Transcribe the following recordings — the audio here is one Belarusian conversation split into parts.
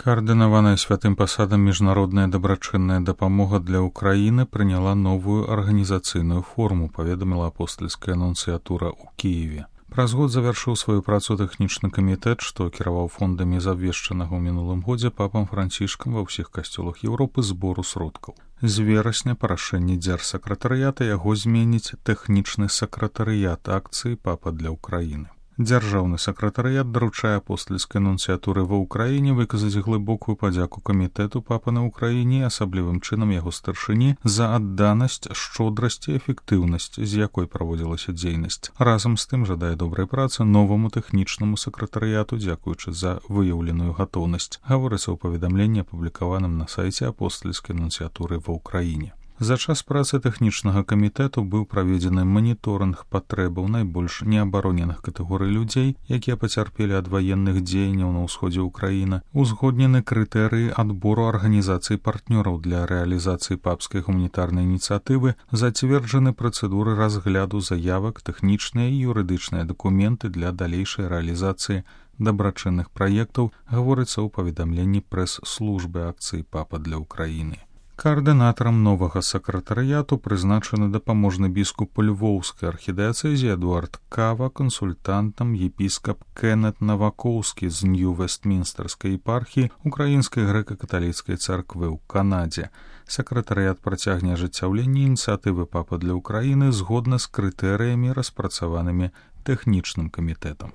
Каардынаваная святым пасадам міжнародная дабрачынная дапамога для ўкраіны прыняла новую арганізацыйную форму, паведаміла апостальская нунцыятура ў Кіеве. Праз год завяршыў сваю працу тэхнічны камітэт, што кіраваў фондамі забвешчанага ў мінулым годзе папам Францішкам ва ўсіх касцёлах Еўропы збору сродкаў. З верасня па рашэнні дзяржсакратарыята яго зменіць тэхнічны сакратарыят акцыі папа для ўкраіны. Дзяржаўны сакратарыят даручае апостальскай нунцыятуры ва ўкраіне выказаць глыбокую падзяку камітэту папа на ўкраіне і асаблівым чынам яго старшыні за адданасць, шчодрасць і эфектыўнасць, з якой праводзілася дзейнасць. Разам з тым жадае добрай працы новаму тэхнічнаму сакратарыяту, дзякуючы за выяўленую гатоўнасць, гаворыцца ў паведамленні, апублікаваным на сайце апостальскай нунцыятуры ва ўкраіне. За час працы тэхнічнага камітэту быў праведзены маніторынг патрэбаў найбольш неабароненых катэгорый людзей, якія пацярпелі ад ваенных дзеянняў на ўсходзе ўкраіны, узгоднены крытэрыі адбору арганізацый партнёраў для рэалізацыі папскай гуманітарнай ініцыятывы, зацверджаны працэдуры разгляду заявак, тэхнічныя і юрыдычныя дакументы для далейшай рэалізацыі дабрачынных праектаў, гаворыцца ў паведамленні прэс-службы акцыі папа для ўкраіны. Каардынатарам новага сакратарыяту прызначаны дапаможны біскуп Львоўскай архідыяцэзіі Эдуард Кава, кансультантам епіскап Кеннет Навакоўскі з Нью-Вестмінстэрскай епархіі Украінскай грэка-каталіцкай царквы ў Канадзе. Сакратарыят працягне ажыццяўленне ініцыятывы папа для ўкраіны згодна з крытэрыямі, распрацаванымі тэхнічным камітэтам.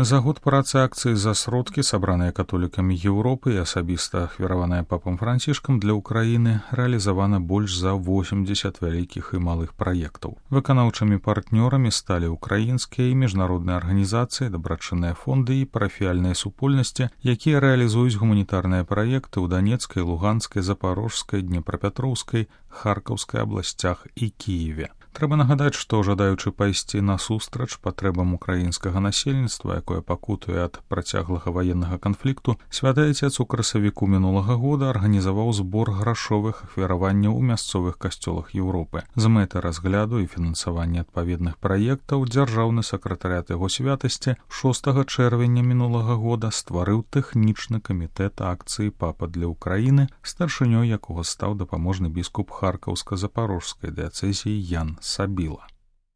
За год працы акцыі за сродкі, сабраныя католікамі Еўропы і асабіста ахвяраваная папам Францішкам для ўкраіны, рэалізавана больш за 80 вялікіх і малых праектаў. Выканаўчымі партнёрамі сталі ўкраінскія і міжнародныя арганізацыі, дабрачынныя фонды і парафіяльныя супольнасці, якія рэалізуюць гуманітарныя праекты ў Данецкай, Луганскай, Запарожскай, Днепрапятроўскай, Харкаўскай абласцях і Кіеве. Трэба нагадаць, што жадаючы пайсці насустрач патрэбам украінскага насельніцтва, якое пакутуе ад працяглага ваеннага канфлікту, святы Ацец у красавіку мінулага года арганізаваў збор грашовых ахвяраванняў у мясцовых касцёлах Еўропы. З мэтай разгляду і фінансавання адпаведных праектаў дзяржаўны сакратарыят яго святасці 6 чэрвеня мінулага года стварыў тэхнічны камітэт акцыі папа для ўкраіны, старшынёй якога стаў дапаможны біскуп Харкаўска-Запарожскай дыяцэзіі Ян Сабіла.